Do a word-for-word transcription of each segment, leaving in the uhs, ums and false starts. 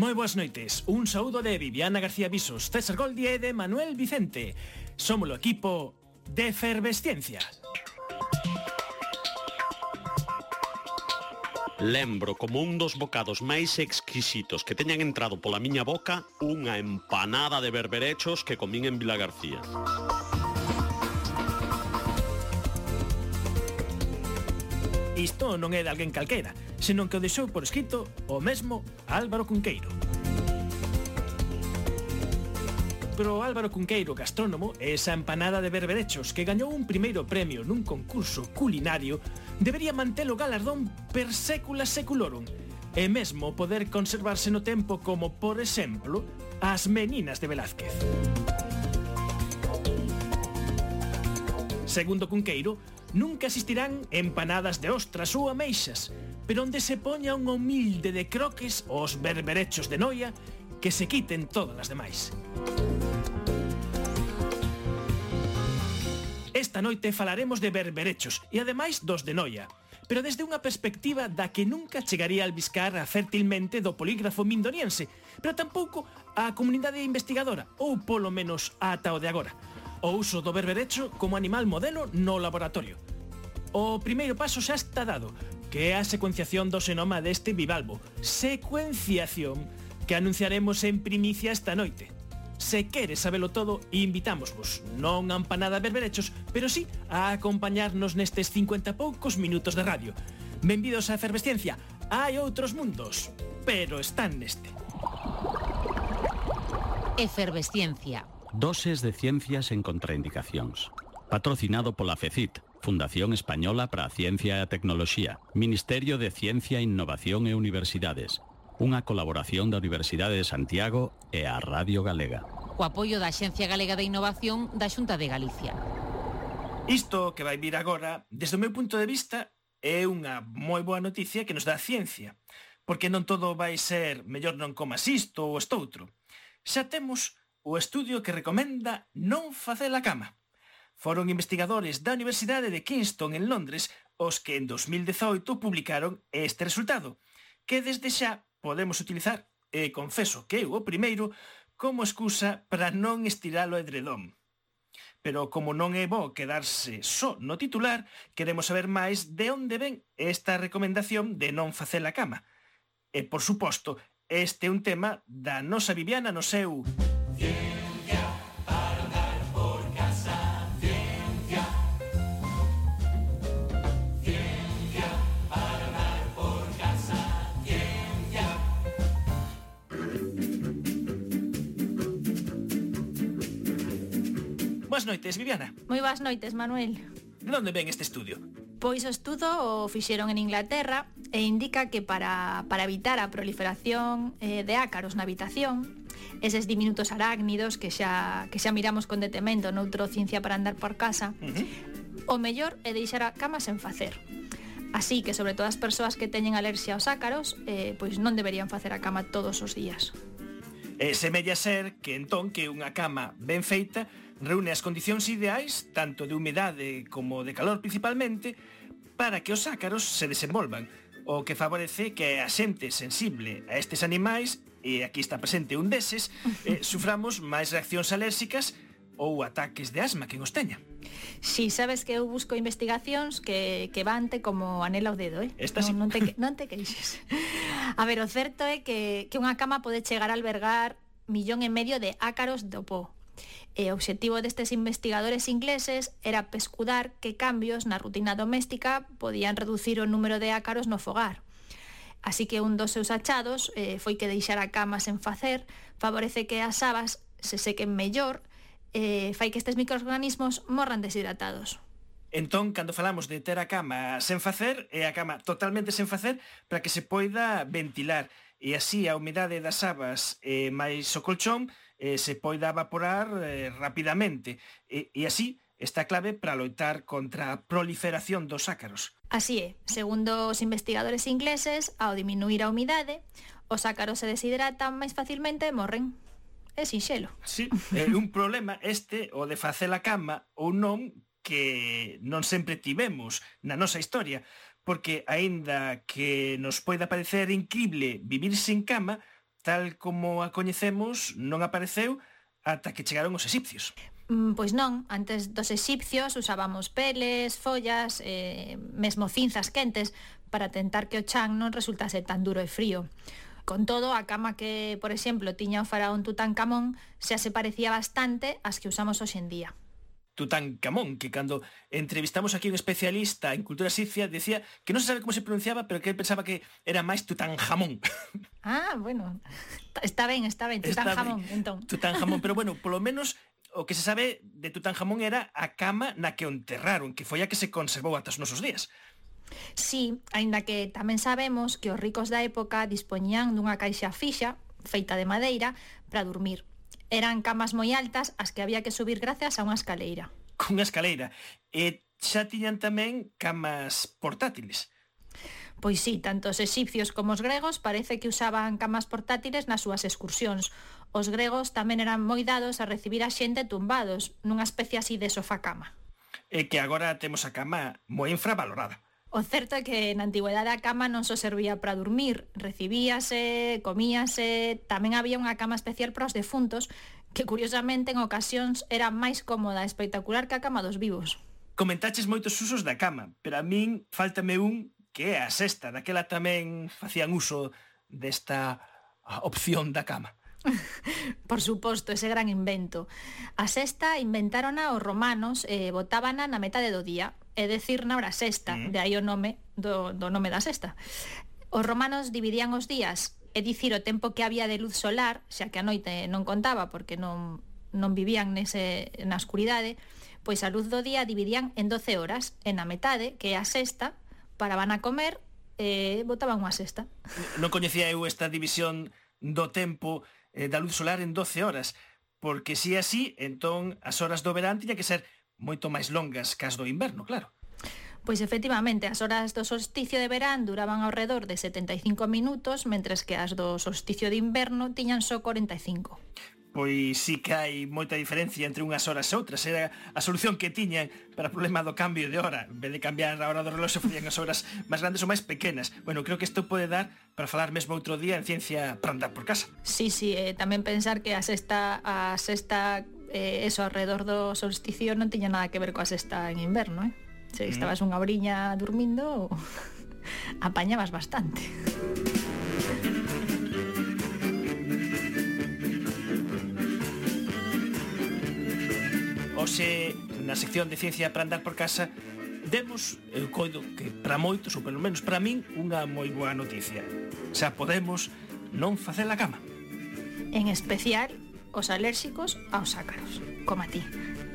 Moi boas noites, un saúdo de Viviana García Visos, César Goldi e de Manuel Vicente. Somos o equipo de Efervesciencia. Lembro como un dos bocados máis exquisitos que teñan entrado pola miña boca unha empanada de berberechos que comín en Vila García. Isto non é de alguén calquera, senón que o deixou por escrito o mesmo Álvaro Cunqueiro. Pero Álvaro Cunqueiro, gastrónomo, esa empanada de berberechos que gañou un primeiro premio nun concurso culinario, debería manter o galardón per sécula seculorum e mesmo poder conservarse no tempo como, por exemplo, as meninas de Velázquez. Segundo Cunqueiro, nunca existirán empanadas de ostras ou ameixas, pero onde se poña un humilde de croques os berberechos de noia que se quiten todas as demais. Esta noite falaremos de berberechos e ademais dos de noia, pero desde unha perspectiva da que nunca chegaría a albiscar fértilmente do polígrafo mindoniense, pero tampouco a comunidade investigadora, ou polo menos ata o de agora. O uso do berberecho como animal modelo no laboratorio. O primeiro paso xa está dado, que é a secuenciación do xenoma deste bivalvo. Secuenciación que anunciaremos en primicia esta noite. Se queres sabelo todo, invitámosvos, non a empanada berberechos, pero sí a acompañarnos nestes cincuenta poucos minutos de radio. Benvidos á Efervesciencia. Hai outros mundos, pero están neste. Efervesciencia. Doses de ciencias en contraindicacións. Patrocinado pola FECIT, Fundación Española para a Ciencia e a Tecnoloxía, Ministerio de Ciencia, Innovación e Universidades. Unha colaboración da Universidade de Santiago e a Radio Galega. O apoio da Axencia Galega de Innovación da Xunta de Galicia. Isto que vai vir agora, desde o meu punto de vista, é unha moi boa noticia que nos dá a ciencia, porque non todo vai ser mellor non comas isto ou estoutro. Xa temos o estudio que recomenda non facer a cama. Foron investigadores da Universidade de Kingston en Londres os que en dos mil dezoito publicaron este resultado, que desde xa podemos utilizar, e confeso que eu o primeiro, como excusa para non estirar o edredón. Pero como non é bo quedarse só no titular, queremos saber máis de onde ven esta recomendación de non facer a cama. E, por suposto, este é un tema da nosa Viviana no seu... Boas noites, Viviana. Moi boas noites, Manuel. De onde ven este estudio? Pois o estudo o fixeron en Inglaterra e indica que para, para evitar a proliferación eh, de ácaros na habitación, eses diminutos arácnidos que xa, que xa miramos con detemento noutro Ciencia para andar por casa, uh-huh. O mellor é deixar a cama sen facer. Así que, sobre todo as persoas que teñen alerxia aos ácaros, eh, pois non deberían facer a cama todos os días. E semella ser que entón que unha cama ben feita reúne as condicións ideais, tanto de humedade como de calor principalmente, para que os ácaros se desenvolvan, o que favorece que a xente sensible a estes animais, e aquí está presente un deses, eh, suframos máis reaccións alérxicas ou ataques de asma que nos teña. Si, sabes que eu busco investigacións que, que vante como anela ao dedo, eh? Esta non, sí. non, te, non te queixes. A ver, o certo é que, que unha cama pode chegar a albergar millón e medio de ácaros do po. E o obxectivo destes investigadores ingleses era pescudar que cambios na rutina doméstica podían reducir o número de ácaros no fogar. Así que un dos seus achados eh, foi que deixar a cama sen facer favorece que as sabas se sequen mellor, eh, fai que estes microorganismos morran deshidratados. Entón, cando falamos de ter a cama sen facer, é a cama totalmente sen facer para que se poida ventilar e así a humidade das sabas e máis o colchón eh, se poida evaporar eh, rapidamente e, e así está clave para loitar contra a proliferación dos ácaros. Así é, segundo os investigadores ingleses, ao diminuir a humidade, os ácaros se deshidratan máis facilmente e morren. É sinxelo. Sí, é un problema este, o de facer a cama ou non, que non sempre tivemos na nosa historia, porque aínda que nos poida parecer incrible vivir sin cama, tal como a coñecemos, non apareceu ata que chegaron os egipcios. Mm, pois non, antes dos egipcios usábamos peles, follas, eh, mesmo cinzas quentes para tentar que o chan non resultase tan duro e frío. Con todo, a cama que, por exemplo, tiña o faraón Tutankamón xa se parecía bastante ás que usamos hoxe en día. Tutankamón, que cando entrevistamos aquí un especialista en cultura egipcia decía que non se sabe como se pronunciaba, pero que él pensaba que era máis Tutankamón. Ah, bueno, está ben, está ben, Tutankamón, entón. Tutankamón, pero bueno, polo menos o que se sabe de Tutankamón era a cama na que o enterraron, que foi a que se conservou ata os nosos días. Sí, aínda que tamén sabemos que os ricos da época dispoñían dunha caixa fixa, feita de madeira, para dormir. Eran camas moi altas as que había que subir gracias a unha escaleira. Cunha escaleira. E xa tiñan tamén camas portátiles. Pois sí, tanto os egipcios como os gregos parece que usaban camas portátiles nas súas excursións. Os gregos tamén eran moi dados a recibir a xente tumbados, nunha especie así de sofá-cama. E que agora temos a cama moi infravalorada. O certo é que na antigüedade a cama non só servía para dormir, recibíase, comíase, tamén había unha cama especial para os defuntos, que curiosamente en ocasións era máis cómoda e espectacular que a cama dos vivos. Comentaches moitos usos da cama, pero a min faltame un que é a sesta, daquela tamén facían uso desta opción da cama. Por suposto, ese gran invento. A sesta inventárona os romanos e eh, botábana na metade do día, é dicir, na hora sexta, mm. de aí o nome do, do nome da sesta. Os romanos dividían os días, é dicir, o tempo que había de luz solar, xa que a noite non contaba porque non, non vivían nese, na escuridade, pois a luz do día dividían en doce horas, e na metade, que é a sexta, paraban a comer e botaban unha sesta. Non coñecía eu esta división do tempo eh, da luz solar en doce horas, porque si así, entón as horas do verán tiña que ser moito máis longas que as do inverno, claro. Pois efectivamente, as horas do solsticio de verán duraban ao redor de setenta e cinco minutos, mentres que as do solsticio de inverno tiñan só corenta e cinco. Pois sí que hai moita diferencia entre unhas horas e outras. Era a solución que tiñan para o problema do cambio de hora. En vez de cambiar a hora do reloxo, facían as horas máis grandes ou máis pequenas. Bueno, creo que isto pode dar para falar mesmo outro día en ciencia para andar por casa. Sí, sí, eh, tamén pensar que a sexta, a sexta eh, eso, alrededor do solsticio non tiña nada que ver coa sexta en inverno, eh? Se mm. estabas unha oriña dormindo, apañabas bastante. Hoxe, na sección de ciencia para andar por casa, demos, eu coido que para moitos, ou pelo menos para min, unha moi boa noticia. Xa podemos non facer a cama. En especial, os alérxicos aos ácaros, como a ti.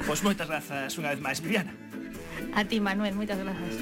Pois moitas grazas unha vez máis, Viviana. A ti, Manuel, moitas grazas.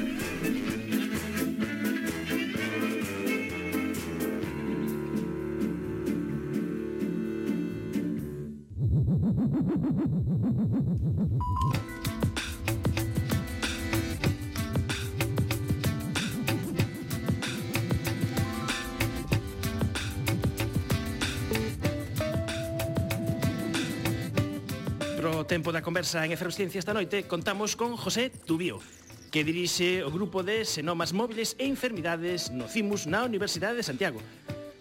Pro tempo da conversa en Eferosciencia esta noite contamos con José Tubío, que dirixe o grupo de xenomas móviles e enfermidades no CIMUS na Universidade de Santiago.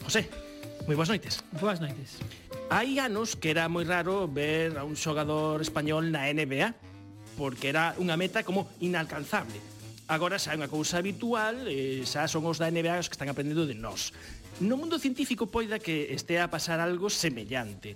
José, moi boas noites. Boas noites. Hai anos que era moi raro ver a un xogador español na N B A, porque era unha meta como inalcanzable. Agora xa é unha cousa habitual, e xa son os da N B A os que están aprendendo de nós. No mundo científico poida que estea a pasar algo semellante.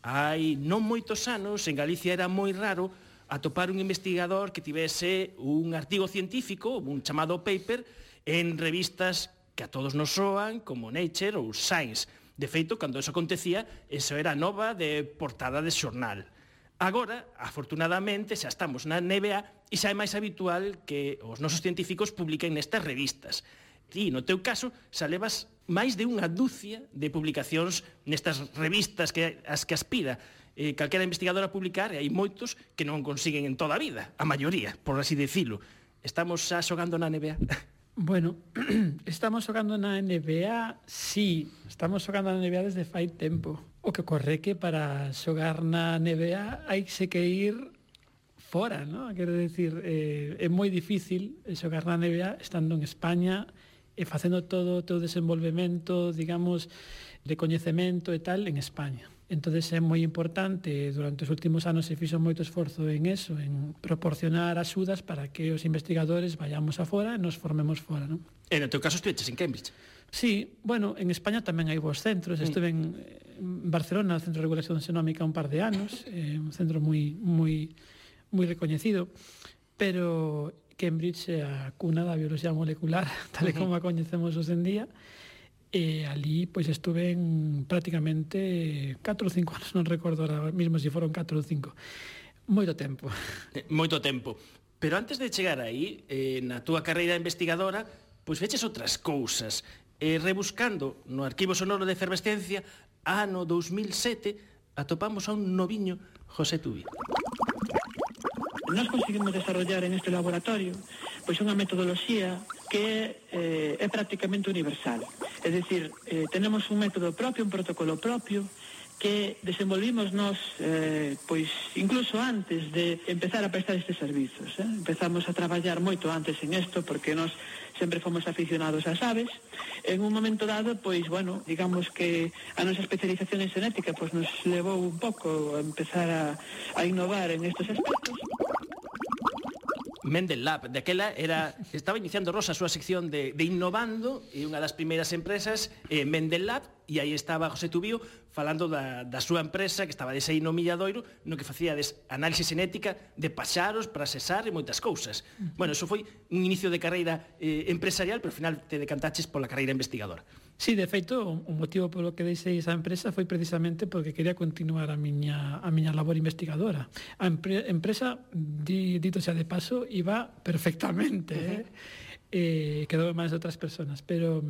Hai non moitos anos, en Galicia era moi raro atopar un investigador que tivese un artigo científico, un chamado paper, en revistas que a todos nos soan, como Nature ou Science. De feito, cando eso acontecía, eso era nova de portada de xornal. Agora, afortunadamente, xa estamos na N B A e xa é máis habitual que os nosos científicos publiquen nestas revistas. Ti, no teu caso, xa levas máis de unha dúcia de publicacións nestas revistas que as que aspira eh, calquera investigador a publicar, e hai moitos que non consiguen en toda a vida, a maioría, por así decilo. Estamos xa xogando na N B A? Bueno, estamos xogando na N B A, sí, estamos xogando na N B A desde fai tempo. O que ocorre que para xogar na N B A hai que ir fora, ¿no? Quero decir, eh, é moi difícil xogar na N B A estando en España e facendo todo o teu desenvolvemento, digamos, de coñecemento e tal en España. Entonces é moi importante, durante os últimos anos se fixo moito esforzo en eso, en proporcionar axudas para que os investigadores vayamos afora e nos formemos fora, non? E no teu caso estuveches en Cambridge? Sí, bueno, en España tamén hai vos centros. Mm. Estuve en, en Barcelona, no Centro de Regulación Xenómica, un par de anos, eh, un centro moi moi moi recoñecido, pero Cambridge é a cuna da biología molecular, tal e como a coñecemos hoxe en día. E ali pois estuve en prácticamente catro ou cinco anos, non recordo ahora mismo se foron catro ou cinco. Moito tempo. Eh, moito tempo. Pero antes de chegar aí, eh, na túa carreira investigadora, pois feches outras cousas. Eh, rebuscando no Arquivo Sonoro de Efervescencia, ano dous mil sete, atopamos a un noviño José Tubi. Nós conseguimos desarrollar en este laboratorio pois unha metodoloxía que eh, é prácticamente universal. É dicir, eh, tenemos un método propio, un protocolo propio, que desenvolvimos nós, eh, pois, incluso antes de empezar a prestar estes servizos. Eh? Empezamos a traballar moito antes en isto, porque nós sempre fomos aficionados ás aves. En un momento dado, pois, bueno, digamos que a nosa especialización en xenética pois, nos levou un pouco a empezar a, a innovar en estes aspectos. Mendel Lab, daquela era, estaba iniciando Rosa a súa sección de, de innovando, e unha das primeiras empresas, eh, Mendel Lab, e aí estaba José Tubío falando da, da súa empresa, que estaba de aí no Milladoiro, no que facía des, análise xenética de paxaros para sesar e moitas cousas. Bueno, eso foi un inicio de carreira eh, empresarial, pero ao final te decantaches pola carreira investigadora. Sí, de feito, o motivo polo que deixei esa empresa foi precisamente porque quería continuar a miña, a miña labor investigadora. A empre, empresa, di, dito xa de paso, iba perfectamente, uh-huh. eh? eh, quedou en manos de outras personas, pero...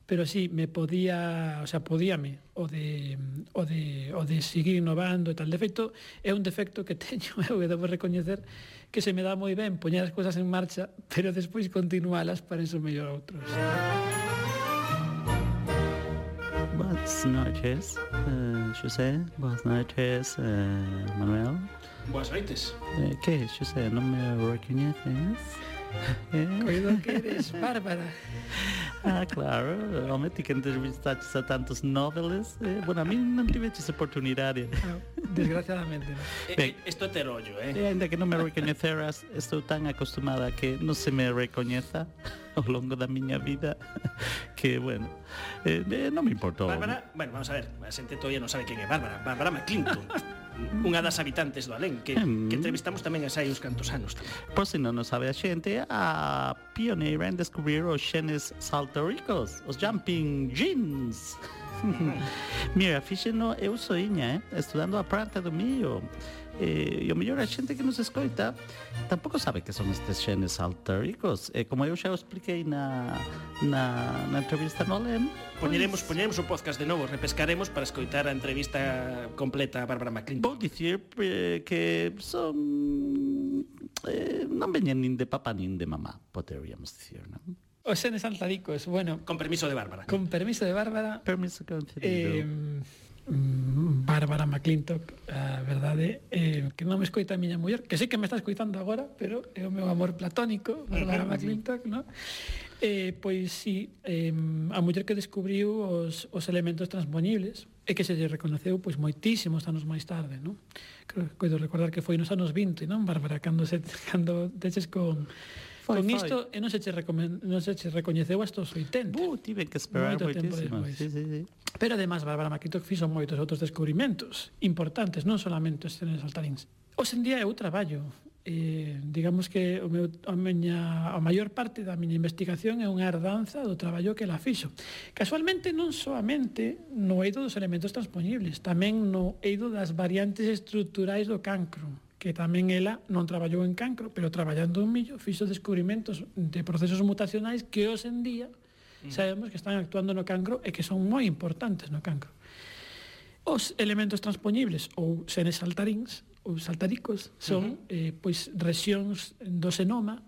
pero sí, me podía, o sea, podíame o de o de o de seguir innovando e tal. De feito, é un defecto que teño, eu que debo recoñecer que se me dá moi ben poñer as cousas en marcha, pero despois continualas para eso mellor outros. Buenas noches, uh, José. Buenas noches, uh, Manuel. Boas noites. Uh, que, José, non me recoñeces? Eh? Coido que eres Bárbara. Ah, claro, home, ti que entrevistaches a tantos noveles, eh, bueno, a mí non tiveches oportunidade. Ah, desgraciadamente. Eh, isto é ter ollo, eh? E ainda que non me recoñeceras, estou tan acostumada que non se me recoñeza ao longo da miña vida que, bueno, eh, non me importou. Bárbara, bueno, vamos a ver, a xente todavía non sabe quen é Bárbara. Bárbara McClinton, unha das habitantes do Alén, que, que entrevistamos tamén a hai uns cantos anos. Por se non o sabe a xente, a pioneira en descubrir os xenes saltaricos, os jumping genes. Mira, fíxeno, eu soiña, eh, estudando a planta do millo. E, e o mellor a xente que nos escoita tampouco sabe que son estes xenes saltaricos. E como eu xa o expliquei na, na, na entrevista no Alén, Poñeremos, pues, poñeremos o podcast de novo, repescaremos para escoitar a entrevista completa a Bárbara McClinton. Vou dicir eh, que son eh, non veñen nin de papá nin de mamá, poderíamos dicir, non? Os xenes saltaricos, bueno... Con permiso de Bárbara. Con permiso de Bárbara... Permiso concedido. Eh, Bárbara McClintock, a verdade, eh, que non me escoita a miña muller, que sei que me está escoitando agora, pero é o meu amor platónico, Bárbara McClintock, non? Eh, pois sí, eh, a muller que descubriu os, os elementos transpoñibles e que se lle reconoceu pois moitísimos anos máis tarde, non? Creo que coido recordar que foi nos anos vinte, non, Bárbara, cando se cando teches con Foi, con foi. isto e non se che recomen, non se che recoñeceu hasta os oitenta. Uh, tive que esperar Moito tempo moitísimo. despois. Sí, sí, sí. Pero además Bárbara McClintock fixo moitos outros descubrimentos importantes, non solamente os xenes saltaríns. Hoxe en día eu traballo, eh, digamos que o meu, a, miña, a maior parte da miña investigación é unha herdanza do traballo que ela fixo. Casualmente non soamente no eido dos elementos transpoñibles, tamén no eido das variantes estruturais do cancro, que tamén ela non traballou en cancro, pero traballando en millo fixo descubrimentos de procesos mutacionais que hoxe en día sabemos que están actuando no cancro e que son moi importantes no cancro. Os elementos transpoñibles ou xenes saltaríns ou saltaricos son uh-huh. eh, pois rexións do xenoma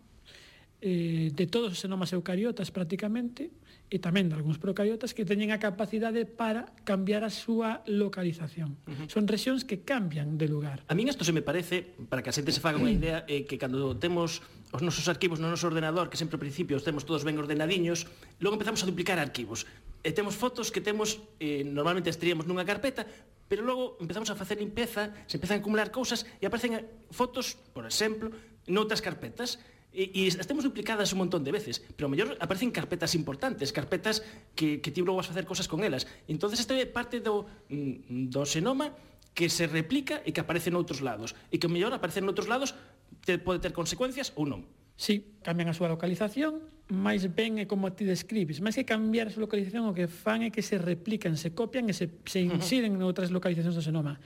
eh, de todos os xenomas eucariotas prácticamente e tamén de algúns procariotas que teñen a capacidade para cambiar a súa localización. Uh-huh. Son rexións que cambian de lugar. A min isto se me parece, para que a xente se faga unha idea, é que cando temos os nosos arquivos no noso ordenador, que sempre ao principio os temos todos ben ordenadiños, logo empezamos a duplicar arquivos. E temos fotos que temos, eh, normalmente as teríamos nunha carpeta, pero logo empezamos a facer limpeza, se empezan a acumular cousas e aparecen fotos, por exemplo, noutras carpetas. E, e as temos duplicadas un montón de veces, pero ao mellor aparecen carpetas importantes, carpetas que, que ti logo vas a facer cosas con elas. Entón, isto é parte do, do xenoma que se replica e que aparece noutros lados, e que ao mellor aparece noutros lados te, pode ter consecuencias ou non. Sí, cambian a súa localización, máis ben é como ti describes. Máis que cambiar a súa localización, o que fan é que se replican, se copian e se, se insiden uh-huh. noutras localizacións do xenoma.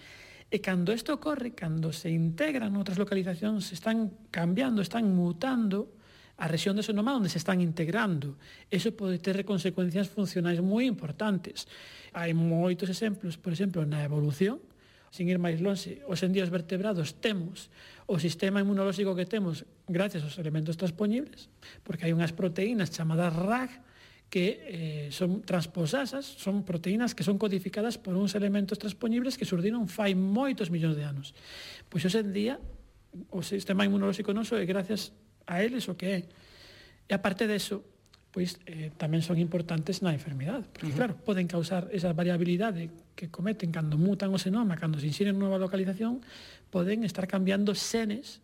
E cando isto ocorre, cando se integran outras localizacións, se están cambiando, están mutando a rexión do xenoma onde se están integrando. Eso pode ter consecuencias funcionais moi importantes. Hai moitos exemplos, por exemplo, na evolución, sin ir máis longe, os en día os vertebrados temos o sistema inmunolóxico que temos gracias aos elementos transpoñibles, porque hai unhas proteínas chamadas R A G que eh, son transposasas, son proteínas que son codificadas por uns elementos transpoñibles que surdiron fai moitos millóns de anos. Pois hoxe en día o sistema inmunolóxico noso é gracias a eles o que é. E aparte deso, pois eh, tamén son importantes na enfermidade, porque uh-huh. claro, poden causar esa variabilidade que cometen cando mutan o xenoma, cando se insiren nova localización, poden estar cambiando xenes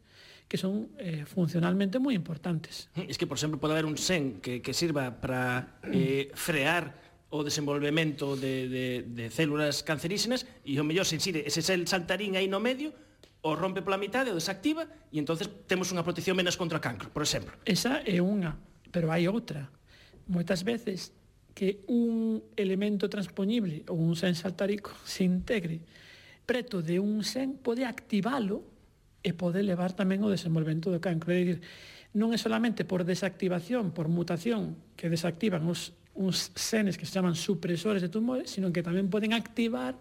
que son eh, funcionalmente moi importantes. Es que, por exemplo, pode haber un xen que, que sirva para eh, frear o desenvolvemento de, de, de células cancerígenas e o mellor se insire ese saltarín aí no medio, o rompe pola mitade, o desactiva e entonces temos unha protección menos contra o cancro, por exemplo. Esa é unha, pero hai outra. Moitas veces que un elemento transpoñible ou un xen saltarico se integre preto de un xen pode activalo e pode levar tamén o desenvolvemento do cancro. É dicir, non é solamente por desactivación, por mutación, que desactivan os, uns xenes que se chaman supresores de tumores, sino que tamén poden activar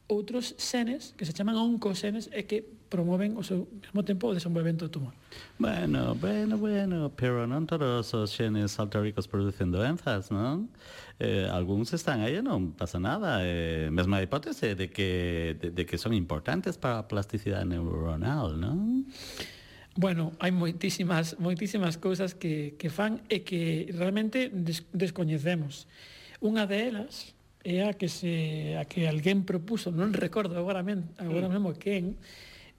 outros xenes que se chaman oncoxenes e que promoven ao seu mesmo tempo o desenvolvemento do tumor. Bueno, bueno, bueno, pero non todos os xenes saltáricos producen doenzas, non? Eh, algúns están aí e non pasa nada. Eh, mesma hipótese de que, de, de que son importantes para a plasticidade neuronal, non? Bueno, hai moitísimas, moitísimas cousas que, que fan e que realmente des, descoñecemos. Unha delas é a que se a que alguén propuso, non recordo agora, men, agora mesmo quen,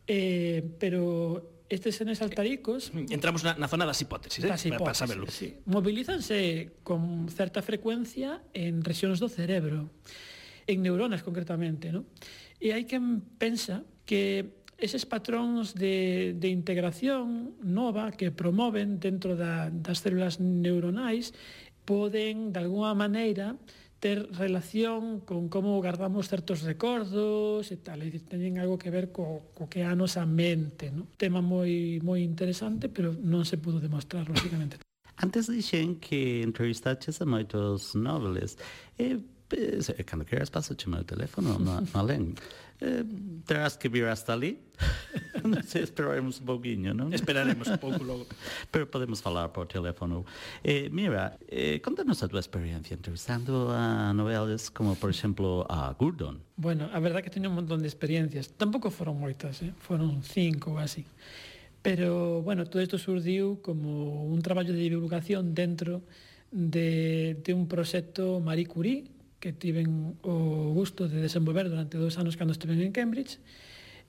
eh, pero estes xenes saltaricos... Entramos na, na zona das hipótesis, eh? Das hipótesis, para saberlo. Sí. Movilízanse con certa frecuencia en rexións do cerebro, en neuronas concretamente, ¿no? E hai quen pensa que eses patróns de, de integración nova que promoven dentro da, das células neuronais poden, de alguna maneira, ter relación con como guardamos certos recordos e tal, e teñen algo que ver co, co que é a nosa mente, ¿no? Tema moi moi interesante, pero non se pudo demostrar, lógicamente. Antes dixen que entrevistaches a moitos noveles. E, e cando queras, paso o teléfono, no, no alén. Eh, terás que vir hasta ali. Non sei, esperaremos un pouquinho, non? Esperaremos un pouco logo. Pero podemos falar por teléfono. Eh, mira, eh, contanos a tua experiencia entrevistando a novelas como, por exemplo, a Gurdon. Bueno, a verdad que teño un montón de experiencias. Tampouco foron moitas, eh? Foron cinco ou así. Pero, bueno, todo isto surdiu como un traballo de divulgación dentro de, de un proxecto Marie Curie, que tiven o gusto de desenvolver durante dos anos cando estiven en Cambridge,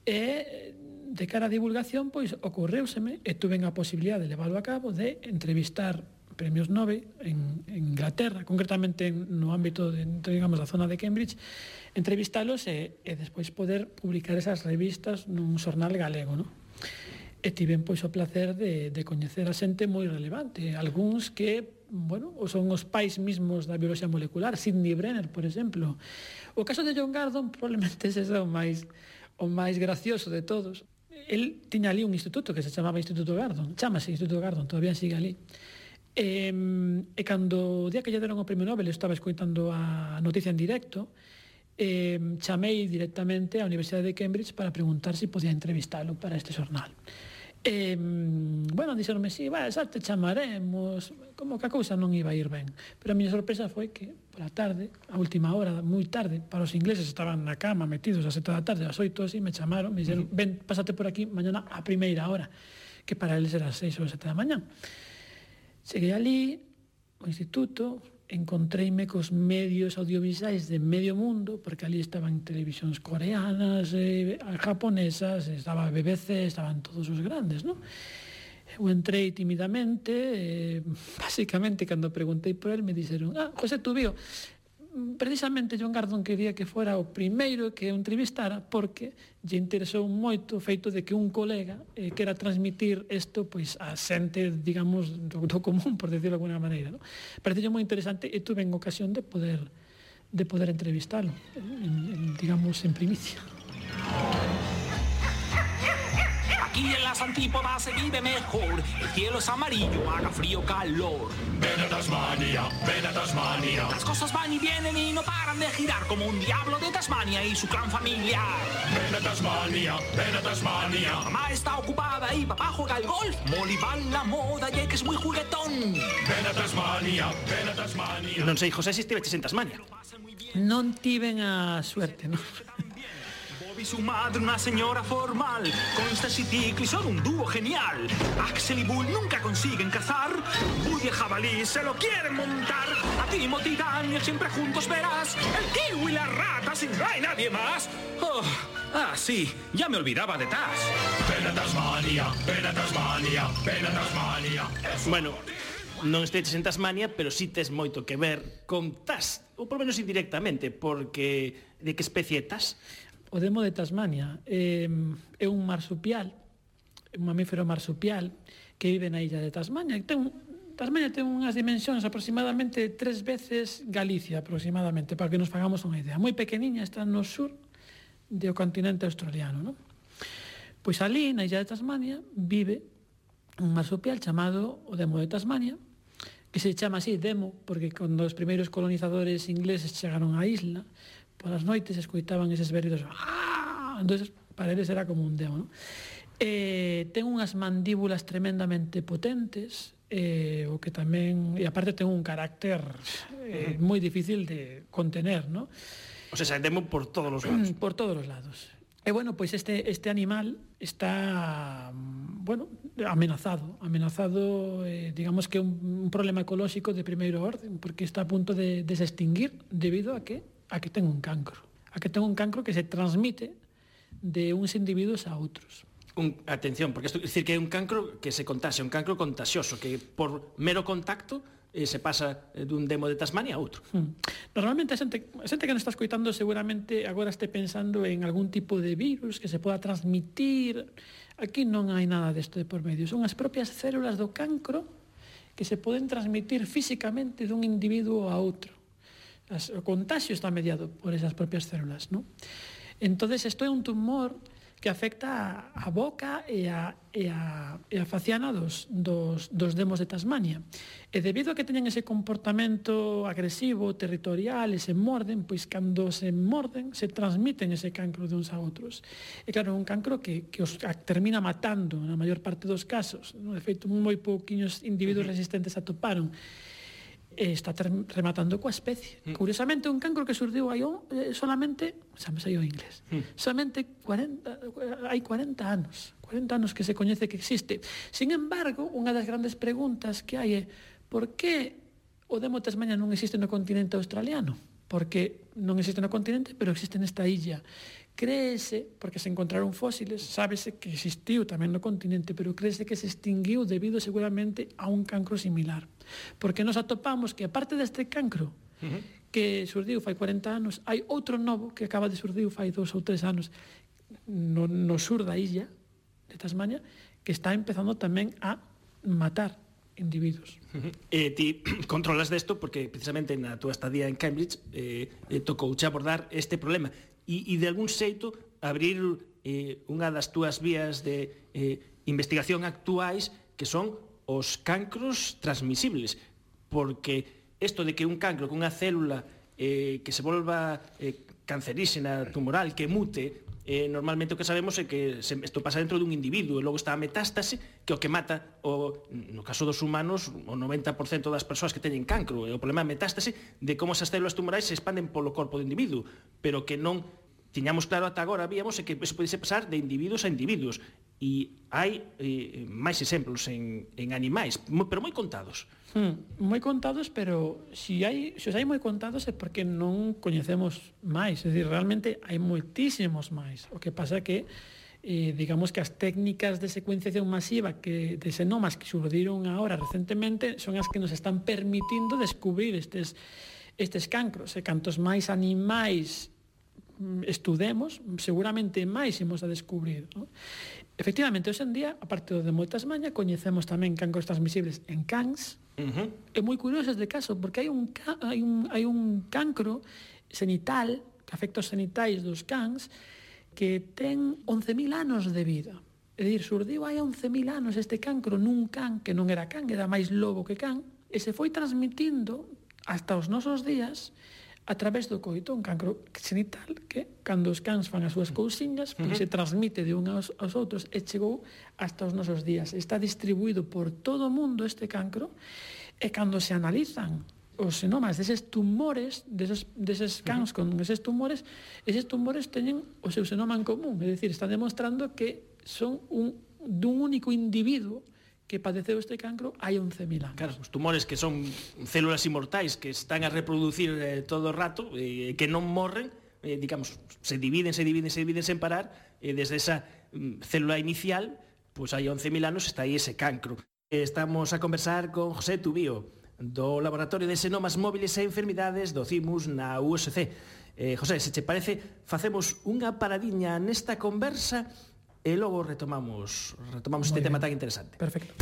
e de cara a divulgación, pois, ocorreuseme e tuven a posibilidade de leválo a cabo de entrevistar premios Nobel en, en Inglaterra, concretamente no ámbito de, digamos, da zona de Cambridge, entrevistalos e, e despois poder publicar esas revistas nun xornal galego, non? E tiven, pois, o placer de, de coñecer a xente moi relevante, algúns que, bueno, son os pais mismos da bioloxía molecular, Sidney Brenner, por exemplo. O caso de John Gurdon probablemente ese é o máis, o máis gracioso de todos. El tiña ali un instituto que se chamaba Instituto Gurdon, chamase Instituto Gurdon, todavía sigue ali. E, e cando o día que lle deron o premio Nobel, eu estaba escoitando a noticia en directo, e chamei directamente á Universidade de Cambridge para preguntar se podía entrevistalo para este xornal. E, bueno, dixeronme, sí, va, xa te chamaremos, como que a cousa non iba a ir ben. Pero a miña sorpresa foi que, pola tarde, a última hora, moi tarde, para os ingleses estaban na cama metidos a sete da tarde, a oito así, me chamaron, me dixeron, ven, pásate por aquí mañana a primeira hora, que para eles era as seis ou sete da mañá. Cheguei ali, ao instituto, encontreime cos medios audiovisuais de medio mundo, porque ali estaban televisións coreanas, eh, japonesas, estaba B B C, estaban todos os grandes, non? Eu entrei timidamente, eh, basicamente, cando preguntei por el, me dixeron, ah, José Tubío, precisamente John Gardon quería que fora o primeiro que eu entrevistara porque lle interesou moito o feito de que un colega eh, quera transmitir isto pois a xente, digamos, do, do común, por decirlo de alguna maneira, ¿no? Pareceu moi interesante e tuve en ocasión de poder de poder entrevistalo, en, en, digamos, en primicia. Aquí en las antípodas se vive mejor. El cielo es amarillo, haga frío, calor. Ven a Tasmania, ven a Tasmania. Las cosas van y vienen y no paran de girar como un diablo de Tasmania y su clan familiar. Ven a Tasmania, ven a Tasmania. Mamá está ocupada y papá juega al golf. Molly va en la moda y que es muy juguetón. Ven a Tasmania, ven a Tasmania. Non sei, José, se estiveches en Tasmania. Non tiven a suerte, non? Y su madre, una señora formal. Constance y Tickly son un dúo genial. Axel y Bull nunca consiguen cazar. Woody el jabalí se lo quieren montar. A Timothy y Daniel siempre juntos verás. El kiwi y las ratas y no hay nadie más. Oh, ah, sí, ya me olvidaba de Taz. Ven a Tasmania, ven a Tasmania, ven a Tasmania. Bueno, non esteches en Tasmania, pero sí tes moito que ver con Taz, ou por menos indirectamente, porque de que especie é Taz? O demo de Tasmania eh, é un marsupial, un mamífero marsupial que vive na illa de Tasmania. Ten, Tasmania ten unhas dimensións aproximadamente tres veces Galicia, aproximadamente, para que nos fagamos unha idea. Moi pequeniña, está no sur do continente australiano, non? Pois ali, na illa de Tasmania, vive un marsupial chamado o demo de Tasmania, que se chama así demo, porque cando os primeiros colonizadores ingleses chegaron á isla, polas noites escoitaban eses berridos, ¡ah! Entonces, para eles era como un demo, ¿no? Eh, ten unhas mandíbulas tremendamente potentes, eh, o que tamén, e aparte ten un carácter eh, moi difícil de contener, ¿no? O sea, demo por todos os lados. Por todos os lados. E bueno, pois este, este animal está, bueno, amenazado, amenazado, eh, digamos que un, un problema ecolóxico de primeiro orden, porque está a punto de, de se extinguir debido a que a que ten un cancro, a que ten un cancro que se transmite de uns individuos a outros. Un, atención, porque isto é dicir que é un cancro que se contaxia, un cancro contagioso, que por mero contacto eh, se pasa dun demo de Tasmania a outro. Hmm. Normalmente a xente, a xente que nos está escoitando seguramente agora este pensando en algún tipo de virus que se poda transmitir. Aquí non hai nada desto de por medio. Son as propias células do cancro que se poden transmitir físicamente dun individuo a outro. O contagio está mediado por esas propias células, ¿no? Entonces, isto é un tumor que afecta a boca e a, e a, e a faciana dos, dos, dos demos de Tasmania. E debido a que teñen ese comportamento agresivo, territorial, e se morden, pois cando se morden, se transmiten ese cancro de uns a outros. E claro, un cancro que, que os termina matando na maior parte dos casos, ¿no? De feito, moi pouquiños individuos resistentes atoparon. E está rematando coa especie. Mm. Curiosamente, un cancro que surdiu aí eh, solamente, xa me saiu inglés, mm. solamente cuarenta, hai cuarenta anos, cuarenta anos que se coñece que existe. Sin embargo, unha das grandes preguntas que hai é por que o demo Tasmania non existe no continente australiano? Porque non existe no continente, pero existe nesta illa. Créese, porque se encontraron fósiles, sábese que existiu tamén no continente, pero créese que se extinguiu debido seguramente a un cancro similar. Porque nos atopamos que, aparte deste cancro, uh-huh. que surdiu fai cuarenta anos, hai outro novo que acaba de surdiu fai dous ou tres anos no, no sur da illa de Tasmania, que está empezando tamén a matar individuos. Uh-huh. E ti controlas desto porque precisamente na túa estadía en Cambridge eh, eh, tocouche abordar este problema. E, e de algún xeito abrir eh, unha das túas vías de eh, investigación actuais que son os cancros transmisibles, porque isto de que un cancro, que unha célula eh, que se volva eh, canceríxena, tumoral, que mute, eh, normalmente o que sabemos é que se, isto pasa dentro dun individuo e logo está a metástase, que o que mata, o, no caso dos humanos, o noventa por cento das persoas que teñen cancro. E o problema é a metástase de como esas células tumorais se expanden polo corpo do individuo, pero que non tiñamos claro ata agora, víamos, é que eso podese pasar de individuos a individuos. E hai eh, máis exemplos en, en animais, pero moi contados. Hmm, moi contados, pero si hai, se os hai moi contados é porque non coñecemos máis. É dicir, realmente hai moitísimos máis. O que pasa é que eh, digamos que as técnicas de secuenciación masiva que, de xenomas que surdiron agora recentemente son as que nos están permitindo descubrir estes, estes cancros. E cantos máis animais estudemos, seguramente máis imos a descubrir, non? Efectivamente, hoxe en día, aparte de moitas mañas, coñecemos tamén cancros transmisibles en cans. Uh-huh. É moi curioso este caso, porque hai un, hai un, hai un cancro xenital, que afecta os xenitais dos cans, que ten once mil anos de vida. É dicir, surdiu hai once mil anos este cancro nun can que non era can, era máis lobo que can, e se foi transmitindo hasta os nosos días a través do coito, un cancro xenital que, cando os cans fan as súas cousiñas, uh-huh, se transmite de uns aos outros e chegou hasta os nosos días. Está distribuído por todo o mundo este cancro, e cando se analizan os xenomas deses tumores, deses, deses cans uh-huh, con eses tumores, eses tumores teñen o seu xenoma en común, é dicir, están demostrando que son un, dun único individuo que padeceu este cancro hai once mil anos. Claro, os tumores que son células inmortais que están a reproducir eh, todo o rato, eh, que non morren, eh, digamos, se dividen, se dividen, se dividen sen parar, e eh, desde esa mm, célula inicial, pois hai once mil anos está aí ese cancro. Eh, estamos a conversar con José Tubío, do Laboratorio de Xenomas Móviles e Enfermidades do CIMUS na U S C. Eh, José, se che parece, facemos unha paradiña nesta conversa e logo retomamos retomamos este tema tan interesante. Perfecto.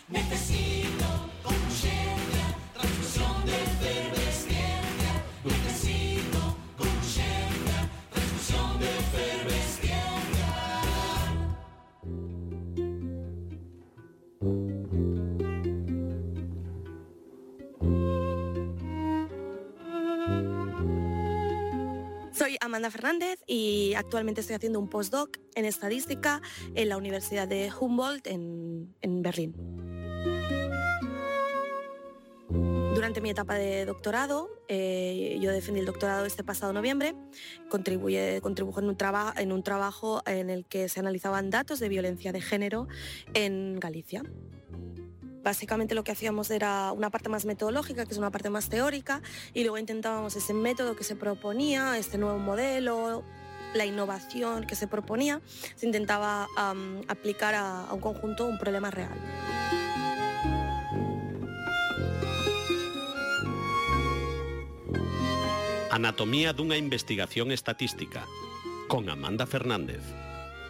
Necesito con urgencia transfusión de efervescencia. Necesito con urgencia transfusión de efervescencia. Soy Amanda Fernández y actualmente estoy haciendo un postdoc en estadística en la Universidad de Humboldt en, en Berlín. Durante mi etapa de doctorado, eh, yo defendí el doctorado este pasado noviembre, contribuye, contribuyo en un, traba, en un trabajo en el que se analizaban datos de violencia de género en Galicia. Básicamente lo que hacíamos era una parte más metodológica, que es una parte más teórica, y luego intentábamos ese método que se proponía, este nuevo modelo, la innovación que se proponía, se intentaba um, aplicar a, a un conjunto un problema real. Anatomía dunha investigación estatística, con Amanda Fernández.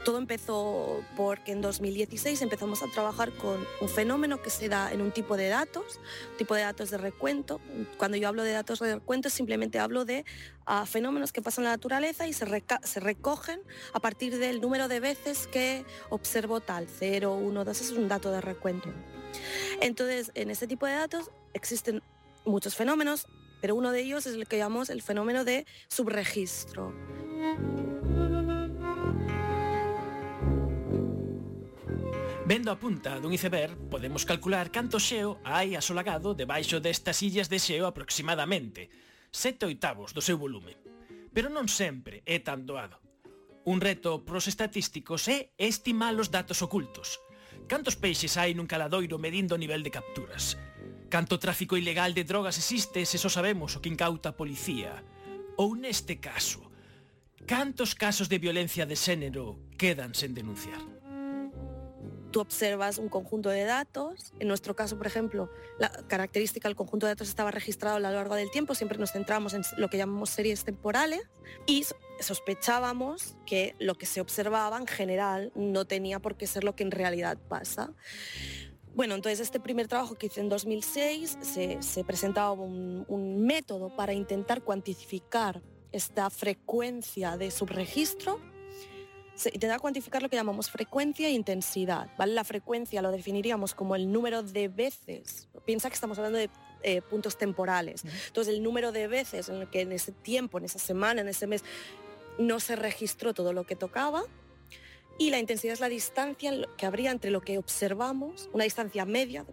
Todo empezó porque en dos mil dieciséis empezamos a trabajar con un fenómeno que se da en un tipo de datos, un tipo de datos de recuento. Cuando yo hablo de datos de recuento simplemente hablo de uh, fenómenos que pasan en la naturaleza y se, reca- se recogen a partir del número de veces que observo tal, cero, uno, dos, es un dato de recuento. Entonces, en este tipo de datos existen muchos fenómenos, pero uno de ellos es el que llamamos el fenómeno de subregistro. Vendo a punta dun iceberg, podemos calcular canto xeo hai asolagado debaixo destas illas de xeo aproximadamente, sete oitavos do seu volume. Pero non sempre é tan doado. Un reto pros estatísticos é estimar os datos ocultos. Cantos peixes hai nun caladoiro medindo o nivel de capturas? Canto tráfico ilegal de drogas existe se só sabemos o que incauta a policía? Ou neste caso, cantos casos de violencia de xénero quedan sen denunciar? Tú observas un conjunto de datos, en nuestro caso, por ejemplo, la característica del conjunto de datos estaba registrado a lo largo del tiempo, siempre nos centramos en lo que llamamos series temporales y sospechábamos que lo que se observaba en general no tenía por qué ser lo que en realidad pasa. Bueno, entonces este primer trabajo que hice en dos mil seis se, se presentaba un, un método para intentar cuantificar esta frecuencia de subregistro. intentar cuantificar lo que llamamos frecuencia e intensidad, ¿vale? La frecuencia lo definiríamos como el número de veces. Piensa que estamos hablando de eh, puntos temporales. Entonces, el número de veces en el que en ese tiempo, en esa semana, en ese mes, no se registró todo lo que tocaba. Y la intensidad es la distancia que habría entre lo que observamos, una distancia media,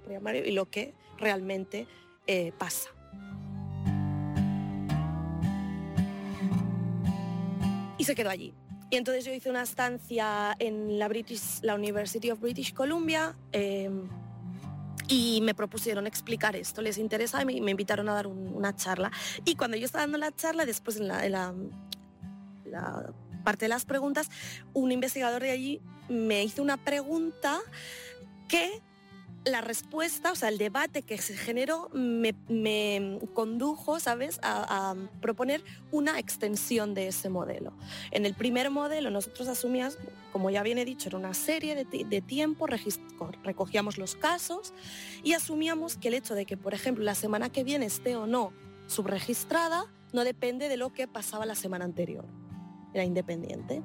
y lo que realmente eh, pasa. Y se quedó allí. Y entonces yo hice una estancia en la, British, la University of British Columbia eh, y me propusieron explicar esto. Les interesa y me, me invitaron a dar un, una charla. Y cuando yo estaba dando la charla, después en la, en la, la parte de las preguntas, un investigador de allí me hizo una pregunta que la respuesta, o sea, el debate que se generó me, me condujo, ¿sabes?, a, a proponer una extensión de ese modelo. En el primer modelo nosotros asumíamos, como ya bien he dicho, era una serie de, de tiempo, recogíamos los casos y asumíamos que el hecho de que, por ejemplo, la semana que viene esté o no subregistrada no depende de lo que pasaba la semana anterior. Era independiente.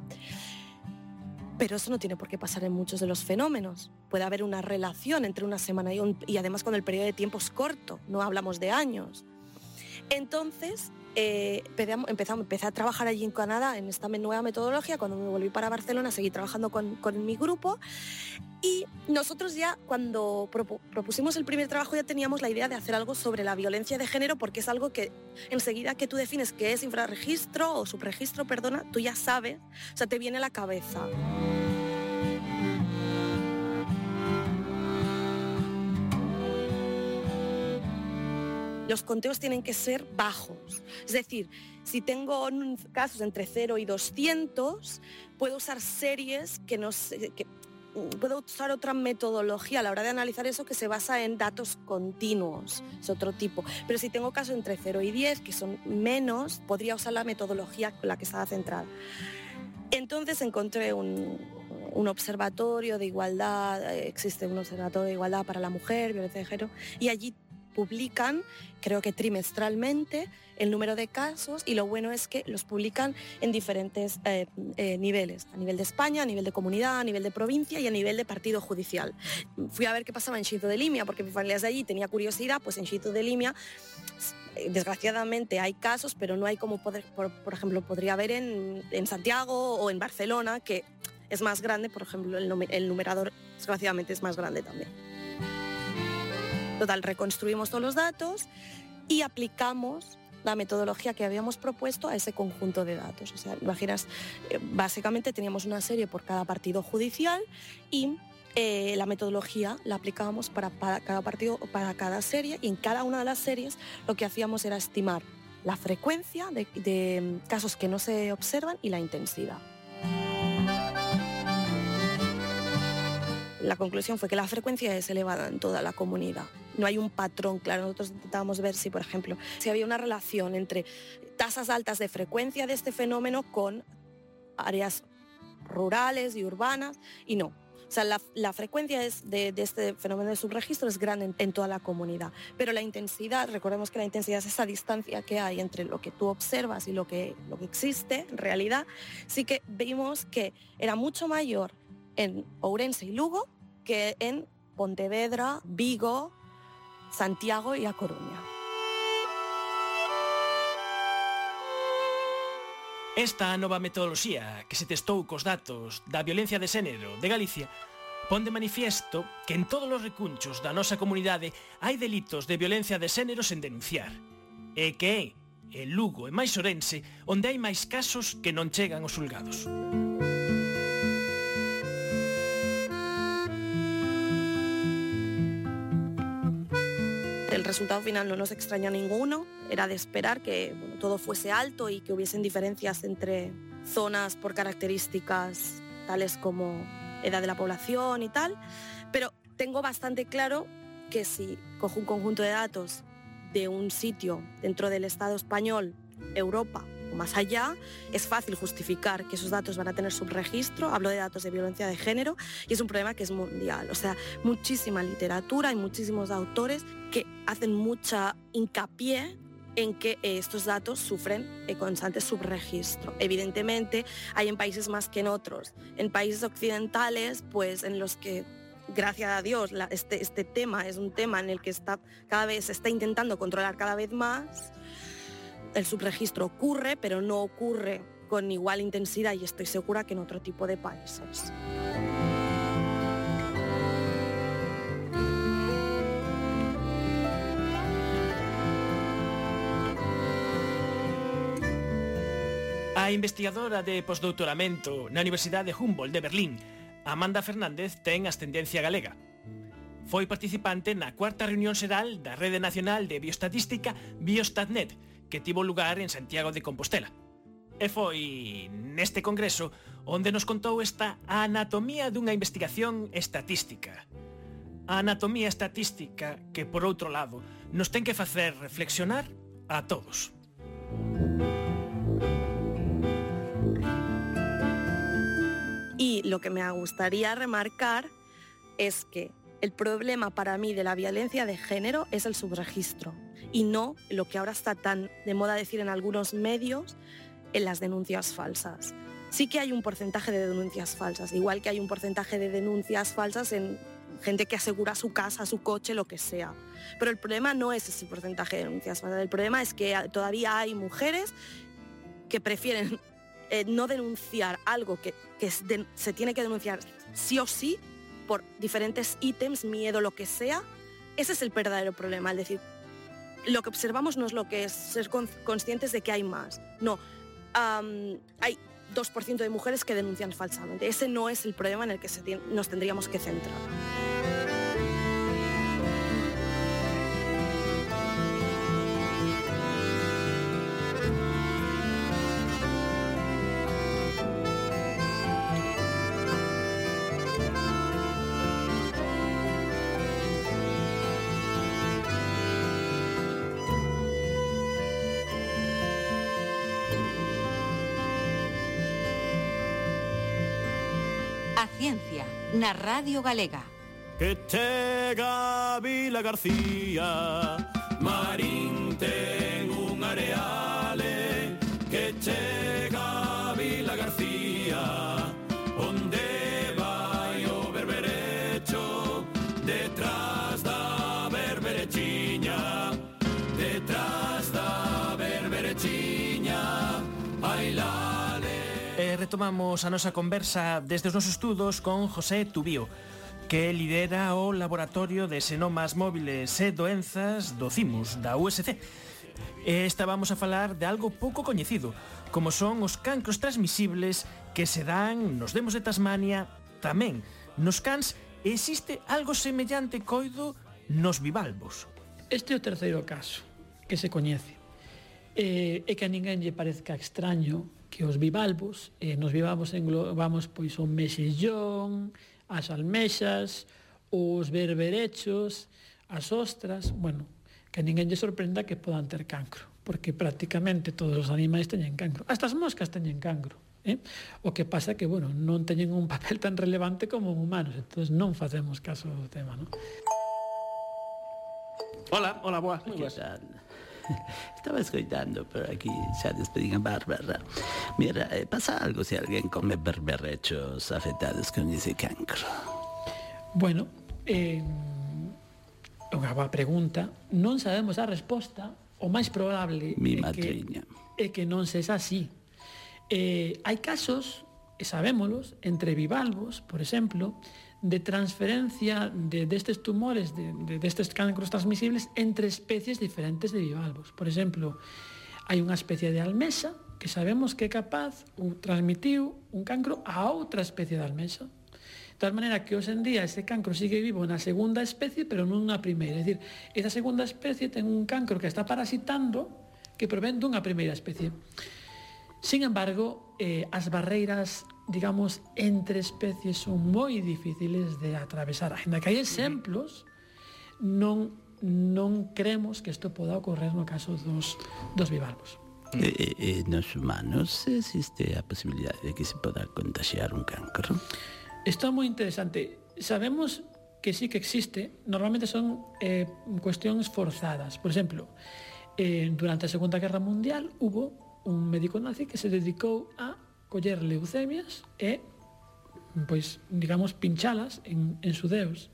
Pero eso no tiene por qué pasar en muchos de los fenómenos. Puede haber una relación entre una semana y, un, y además cuando el periodo de tiempo es corto, no hablamos de años. Entonces, eh, empezamos, empecé a trabajar allí en Canadá en esta nueva metodología. Cuando me volví para Barcelona seguí trabajando con, con mi grupo y nosotros ya cuando propusimos el primer trabajo ya teníamos la idea de hacer algo sobre la violencia de género, porque es algo que enseguida que tú defines que es infrarregistro o subregistro, perdona, tú ya sabes, o sea, te viene a la cabeza. Los conteos tienen que ser bajos. Es decir, si tengo casos entre cero y doscientos, puedo usar series que no sé, que puedo usar otra metodología a la hora de analizar eso que se basa en datos continuos, es otro tipo. Pero si tengo casos entre cero y diez, que son menos, podría usar la metodología con la que estaba centrada. Entonces encontré un, un observatorio de igualdad, existe un observatorio de igualdad para la mujer, violencia de género, y allí publican, creo que trimestralmente, el número de casos y lo bueno es que los publican en diferentes eh, eh, niveles, a nivel de España, a nivel de comunidad, a nivel de provincia y a nivel de partido judicial. Fui a ver qué pasaba en Xinzo de Limia, porque mi familia es de allí, tenía curiosidad, pues en Xinzo de Limia desgraciadamente hay casos, pero no hay como, poder, por, por ejemplo, podría haber en, en Santiago o en Barcelona, que es más grande, por ejemplo, el, el numerador desgraciadamente es más grande también. Total, reconstruimos todos los datos y aplicamos la metodología que habíamos propuesto a ese conjunto de datos. O sea, imaginas, básicamente teníamos una serie por cada partido judicial y eh, la metodología la aplicábamos para, para cada partido o para cada serie, y en cada una de las series lo que hacíamos era estimar la frecuencia de, de casos que no se observan y la intensidad. La conclusión fue que la frecuencia es elevada en toda la comunidad. No hay un patrón claro. Nosotros intentábamos ver si, por ejemplo, si había una relación entre tasas altas de frecuencia de este fenómeno con áreas rurales y urbanas, y no. O sea, la, la frecuencia es de, de este fenómeno de subregistro es grande en, en toda la comunidad. Pero la intensidad, recordemos que la intensidad es esa distancia que hay entre lo que tú observas y lo que, lo que existe en realidad. Sí que vimos que era mucho mayor en Ourense y Lugo que en Pontevedra, Vigo, Santiago e A Coruña. Esta nova metodoloxía que se testou cos datos da violencia de xénero de Galicia pon de manifiesto que en todos os recunchos da nosa comunidade hai delitos de violencia de xénero sen denunciar, e que é en Lugo e máis Ourense onde hai máis casos que non chegan aos xulgados. El resultado final no nos extrañó a ninguno, era de esperar que bueno, todo fuese alto y que hubiesen diferencias entre zonas por características tales como edad de la población y tal, pero tengo bastante claro que si cojo un conjunto de datos de un sitio dentro del Estado español, Europa o más allá, es fácil justificar que esos datos van a tener subregistro. Hablo de datos de violencia de género y es un problema que es mundial. O sea, muchísima literatura y muchísimos autores que hacen mucha hincapié en que estos datos sufren constante subregistro. Evidentemente, hay en países más que en otros. En países occidentales, pues en los que, gracias a Dios, la, este, este tema es un tema en el que está, cada vez se está intentando controlar cada vez más, el subregistro ocurre, pero no ocurre con igual intensidad, y estoy segura que en otro tipo de países. A investigadora de postdoutoramento na Universidade Humboldt de Berlín, Amanda Fernández, ten ascendencia galega. Foi participante na cuarta reunión xeral da Rede Nacional de Bioestatística Biostatnet, que tivo lugar en Santiago de Compostela. E foi neste congreso onde nos contou esta anatomía dunha investigación estatística. A anatomía estatística que, por outro lado, nos ten que facer reflexionar a todos. Y lo que me gustaría remarcar es que el problema para mí de la violencia de género es el subregistro y no lo que ahora está tan de moda decir en algunos medios, en las denuncias falsas. Sí que hay un porcentaje de denuncias falsas, igual que hay un porcentaje de denuncias falsas en gente que asegura su casa, su coche, lo que sea. Pero el problema no es ese porcentaje de denuncias falsas, el problema es que todavía hay mujeres que prefieren eh, no denunciar algo que, que de, se tiene que denunciar sí o sí por diferentes ítems, miedo, lo que sea. Ese es el verdadero problema, es decir, lo que observamos no es lo que es ser conscientes de que hay más. No, um, hay dos por ciento de mujeres que denuncian falsamente. Ese no es el problema en el que se tiene, nos tendríamos que centrar. A ciencia na Radio Galega. Que chega Vila García, Marín ten un areale. Que chega Vila García, onde vai o berberecho, detrás da berberechiña, detrás da berberechiña, ai la. E retomamos a nosa conversa desde os nosos estudos con José Tubío, que lidera o Laboratorio de Xenomas Móviles e Doenzas do CIMUS, da U S C. E estábamos a falar de algo pouco coñecido, como son os cancros transmisibles que se dan nos demos de Tasmania, tamén nos cans. Existe algo semellante, coido, nos bivalvos. Este é o terceiro caso que se coñece. E, e que a ninguén lle parezca extraño que os bivalvos, eh, nos bivalvos englobamos pois o mexillón, as almexas, os berberechos, as ostras, bueno, que a ninguén lle sorprenda que podan ter cancro, porque prácticamente todos os animais teñen cancro. Hasta as moscas teñen cancro, eh? O que pasa que, bueno, non teñen un papel tan relevante como humanos, entón non facemos caso do tema, non? Hola, hola, boas, moi boas. Estaba escoitando por aquí, xa despedín a Bárbara. Mira, eh, pasa algo se alguén come berberechos afectados con ese cancro? Bueno, eh, unha boa pregunta. Non sabemos a resposta. O máis probable Mi é madriña. que, é que non sexa así. Eh, hai casos, e sabémolos, entre bivalvos, por exemplo, de transferencia de destes tumores, de, de destes cancros transmisibles entre especies diferentes de bivalvos. Por exemplo, hai unha especie de almexa que sabemos que é capaz ou transmitiu un cancro a outra especie de almexa. De tal maneira que hoxe en día ese cancro sigue vivo na segunda especie, pero non na primeira. É dicir, esa segunda especie ten un cancro que está parasitando que provén dunha primeira especie. Sin embargo, eh, as barreiras, digamos, entre especies son moi difíciles de atravesar. Ainda que hai exemplos, non, non creemos que isto poda ocorrer no caso dos, dos bivalvos. E, e, nos humanos existe a posibilidade de que se poda contagiar un cancro? Isto é moi interesante. Sabemos que sí que existe. Normalmente son eh, cuestións forzadas. Por exemplo, Eh, durante a Segunda Guerra Mundial hubo un médico nazi que se dedicou a coller leucemias e, pois, digamos, pinchalas en, en xudeus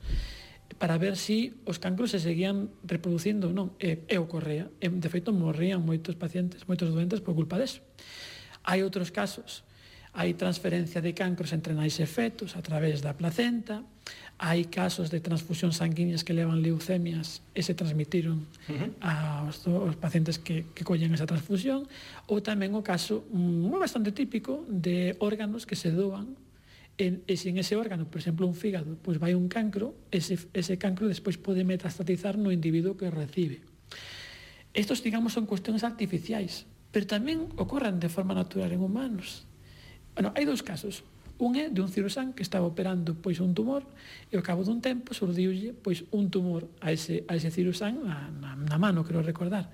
para ver si os cancros se seguían reproducindo ou non. E, e ocorrea. E, de feito, morrían moitos pacientes, moitos doentes por culpa deso. Hai outros casos. Hai transferencia de cancros entre nais e fetos a través da placenta. Hai casos de transfusión sanguíneas que levan leucemias e se transmitiron uh-huh. aos, aos pacientes que, que collen esa transfusión. Ou tamén o caso moi bastante típico de órganos que se doan e, e se en ese órgano, por exemplo, un fígado, pois vai un cancro, ese, ese cancro despois pode metastatizar no individuo que o recibe. Estos, digamos, son cuestións artificiais, pero tamén ocorren de forma natural en humanos. Bueno, hai dous casos. Un é de un cirurxán que estaba operando pois un tumor e ao cabo dun tempo surdiulle pois un tumor a ese, a ese cirurxán na, na, na mano, quero recordar.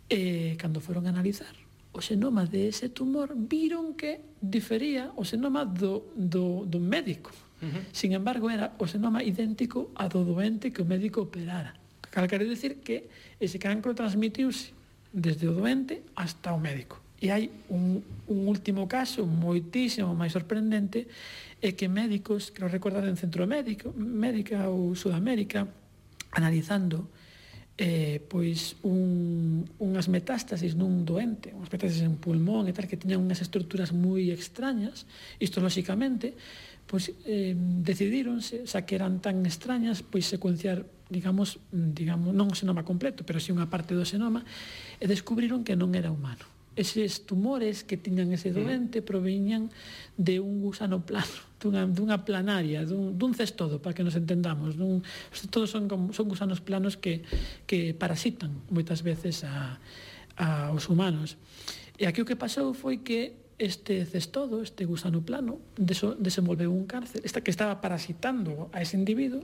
E cando foron a analizar o xenoma de ese tumor, viron que difería o xenoma do, do, do médico. Uh-huh. Sin embargo, era o xenoma idéntico a do doente que o médico operara. Cal quere dicir que ese cancro transmitiuse desde o doente hasta o médico. E hai un, un último caso moitísimo máis sorprendente, é que médicos, quero recordar en Centroamérica América ou Sudamérica, analizando eh, pois un, unhas metástasis nun doente, unhas metástasis en pulmón e tal, que teñan unhas estruturas moi extrañas, histolóxicamente, pois eh, decidíronse, xa que eran tan extrañas, pois secuenciar, digamos, digamos non o xenoma completo, pero si unha parte do xenoma, e descubriron que non era humano. Eses tumores que tiñan ese doente proviñan de un gusano plano, dunha, dunha planaria, dun, dun cestodo, para que nos entendamos. Dun, os cestodos son, son gusanos planos que, que parasitan moitas veces a, a os humanos. E aquí o que pasou foi que este cestodo, este gusano plano, deso, desenvolveu un cáncer, esta que estaba parasitando a ese individuo,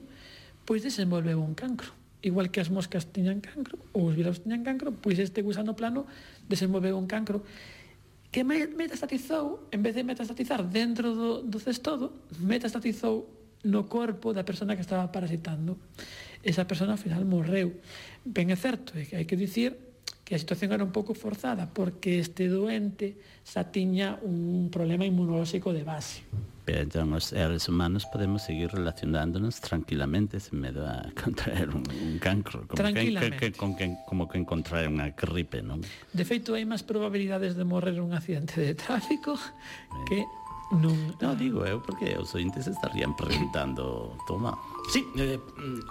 pois desenvolveu un cancro. Igual que as moscas tiñan cancro, ou os viraus tiñan cancro, pois este gusano plano desenvolveu un cancro que metastatizou, en vez de metastatizar dentro do, do cestodo, metastatizou no corpo da persona que estaba parasitando. Esa persona, ao final, morreu. Ben é certo, é que hai que dicir que a situación era un pouco forzada, porque este doente xa tiña un problema inmunolóxico de base. Pero entón, os seres humanos podemos seguir relacionándonos tranquilamente sen medo a contraer un, un cancro, como tranquilamente. Que, que, con que, como que encontrar unha gripe, non? De feito, hai máis probabilidades de morrer un accidente de tráfico eh. que non... No, digo eu, porque os ointes estarían preguntando, toma... Sí, eh,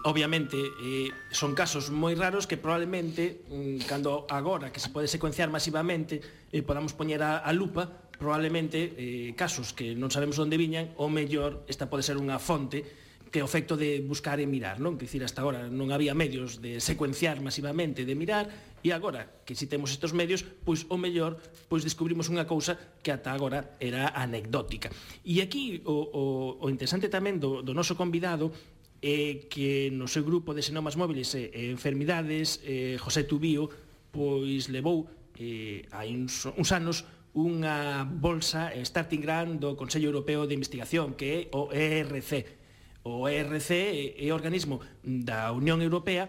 obviamente eh, son casos moi raros que probablemente mm, cando agora que se pode secuenciar masivamente eh, podamos poñer a, a lupa, probablemente eh, casos que non sabemos onde viñan, ou mellor esta pode ser unha fonte que o efecto de buscar e mirar, non? Que dicir, hasta agora non había medios de secuenciar masivamente, de mirar, e agora que si temos estes medios, pois o mellor pois descubrimos unha cousa que ata agora era anecdótica. E aquí o, o, o interesante tamén do, do noso convidado é que no seu grupo de xenomas móviles e enfermidades, eh, José Tubío, pois levou eh, hai uns, uns anos unha bolsa Starting Grant do Consello Europeo de Investigación, que é o E R C. O E R C é o organismo da Unión Europea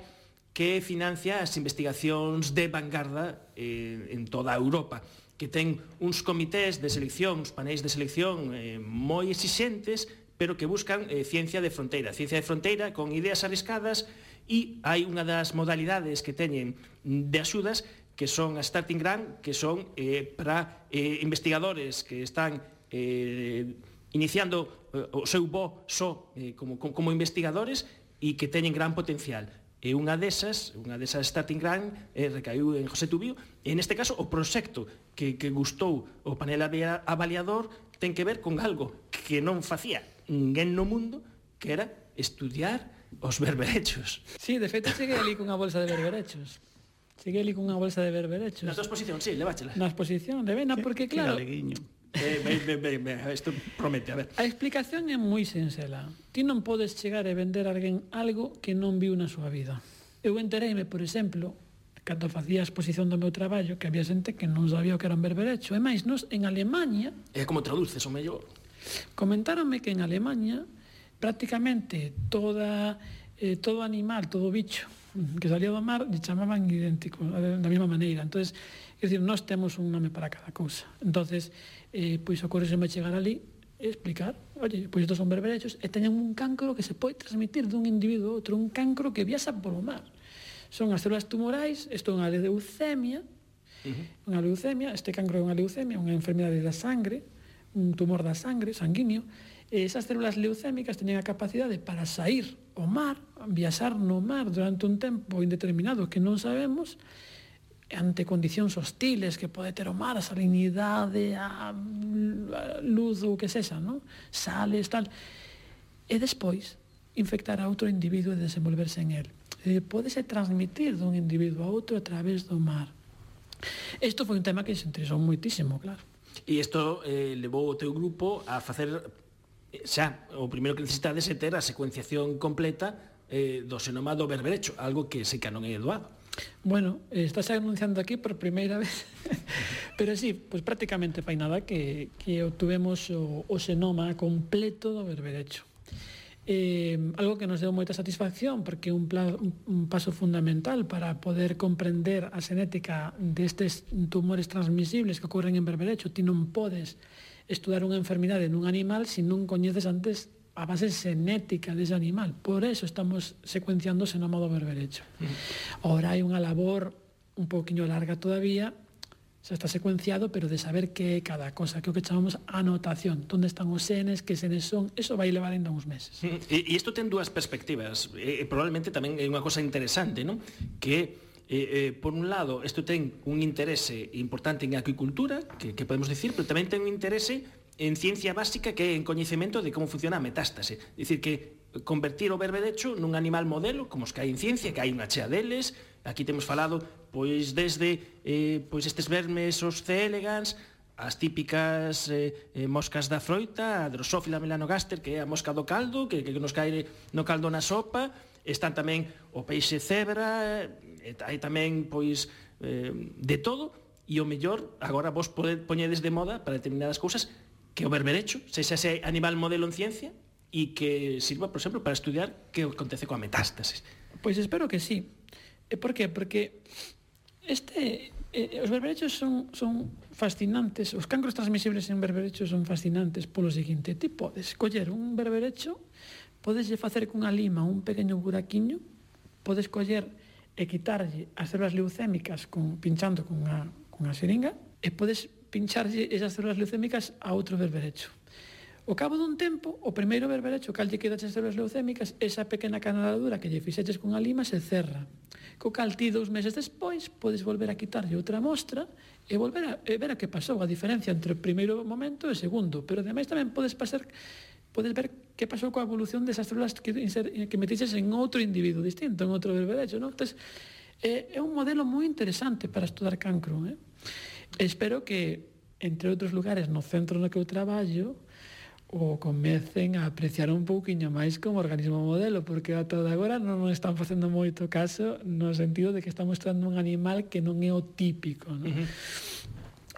que financia as investigacións de vanguarda eh, en toda a Europa, que ten uns comités de selección, uns panéis de selección eh, moi exixentes, pero que buscan eh, ciencia de fronteira, ciencia de fronteira con ideas arriscadas, e hai unha das modalidades que teñen de axudas que son a Starting Grant, que son eh, para eh, investigadores que están eh, iniciando eh, o seu voo só eh, como, como investigadores e que teñen gran potencial. E unha desas, unha desas Starting Grant eh, recaiu en José Tubío, e neste caso o proxecto que, que gustou o panel avaliador ten que ver con algo que non facía ninguén no mundo, que era estudiar os berberechos. Sí, de feito cheguei ali cunha bolsa de berberechos. Cheguei ali cunha bolsa de berberechos. Na tua exposición, sí, leváchela. Na exposición, de vena, porque claro... Eh, ben, ben, ben, ben, isto promete, a ver. A explicación é moi sinxela. Ti non podes chegar e vender a alguén algo que non viu na súa vida. Eu entereime, por exemplo, cando facía a exposición do meu traballo, que había xente que non sabía o que era un berberecho. E máis, nos en Alemanha... É como traduces, o mellor? Comentáronme que en Alemanha prácticamente toda, eh, todo animal, todo bicho que salía do mar lle chamaban idéntico, da mesma maneira. Entonces, é dicir, nós temos un nome para cada cousa. Entonces, eh, pois ocorreseme chegar ali e explicar, oye, pois estos son berberechos e teñen un cancro que se pode transmitir dun individuo a outro, un cancro que viaxa polo mar. Son as células tumorais, isto é unha leucemia, uh-huh. unha leucemia, este cancro é unha leucemia, unha enfermidade da sangre, un tumor da sangre, sanguíneo, e esas células leucémicas teñen a capacidade para sair ao mar, viaxar no mar durante un tempo indeterminado que non sabemos, ante condicións hostiles que pode ter o mar, a salinidade, a luz ou o que sexa, non? Sales, tal. E despois infectar a outro individuo e desenvolverse en él. E podese transmitir dun individuo a outro a través do mar. Isto foi un tema que se interesou moitísimo, claro. E isto eh, levou o teu grupo a facer xa, o primeiro que necesitades é ter a secuenciación completa eh, do xenoma do berberecho, algo que sei que non é doado. Bueno, estás anunciando aquí por primeira vez, pero sí, pues prácticamente fai nada que, que obtuvemos o, o xenoma completo do berberecho. Eh, algo que nos deu moita satisfacción porque é un, un, un paso fundamental para poder comprender a xenética destes tumores transmisibles que ocorren en berberecho. Ti non podes estudar unha enfermidade nun animal se non coñeces antes a base xenética dese animal. Por eso estamos secuenciando o xenoma do berberecho. Ahora hai unha labor un poquinho larga todavía, xa está secuenciado, pero de saber que é cada cosa, que é o que chamamos anotación, onde están os xenes, que xenes son, eso vai levar ainda uns meses. E isto ten dúas perspectivas, e probablemente tamén é unha cosa interesante, non? Que Eh, eh, por un lado, isto ten un interese importante en acuicultura, que, que podemos decir, pero tamén ten un interese en ciencia básica, que é en coñecemento de como funciona a metástase. É dicir, que convertir o berberecho nun animal modelo, como os que hai en ciencia, que hai unha chea deles. Aquí temos falado, pois, desde eh, pois estes vermes, os C. elegans, as típicas eh, eh, moscas da froita, a Drosophila melanogaster, que é a mosca do caldo, que, que nos cae no caldo na sopa. Están tamén o peixe cebra, e hai tamén, pois, eh, de todo, e o mellor, agora vos poñedes de moda para determinadas cousas, que o berberecho sexa ese animal modelo en ciencia e que sirva, por exemplo, para estudiar que acontece coa metástasis. Pois espero que sí. E por qué? Porque este, eh, os berberechos son, son fascinantes, os cancros transmisibles en berberechos son fascinantes polo seguinte: ti podes coller un berberecho, podes facer cunha lima un pequeno buraquiño, podes coller e quitarlle as células leucémicas con, pinchando con unha, con unha xeringa, e podes pincharlle esas células leucémicas a outro berberecho. Ao cabo dun tempo, o primeiro berberecho cal lle quedas as células leucémicas, esa pequena canaladura que lle fixeches con a lima se cerra. Co cal ti dous meses despois podes volver a quitarlle outra mostra e volver a e ver a que pasou, a diferencia entre o primeiro momento e o segundo. Pero ademais tamén podes pasar podes ver que pasou coa evolución desas células que, que metiches en outro individuo distinto, en outro berberecho, non? Entón, é, é un modelo moi interesante para estudar cancro, eh? Espero que, entre outros lugares, no centro no que eu traballo, o comecen a apreciar un pouquiño máis como organismo modelo, porque ata de agora non nos están facendo moito caso no sentido de que estamos estudando un animal que non é o típico, non? Uh-huh.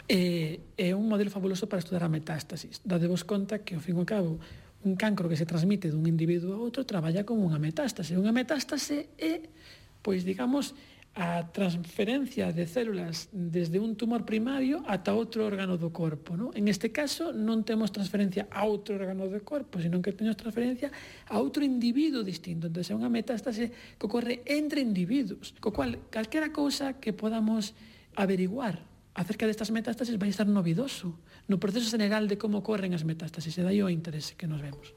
É, é un modelo fabuloso para estudar a metástasis. Dadevos conta que, ao fin e ao cabo, un cancro que se transmite dun individuo a outro traballa como unha metástase. Unha metástase é, pois, digamos, a transferencia de células desde un tumor primario ata outro órgano do corpo, non? En este caso non temos transferencia a outro órgano do corpo, senón que temos transferencia a outro individuo distinto. Entón, é unha metástase que ocorre entre individuos, co cual, calquera cousa que podamos averiguar acerca destas metástases vai estar novidoso no proceso general de como ocorren as metástases, e dai o interese que nos vemos.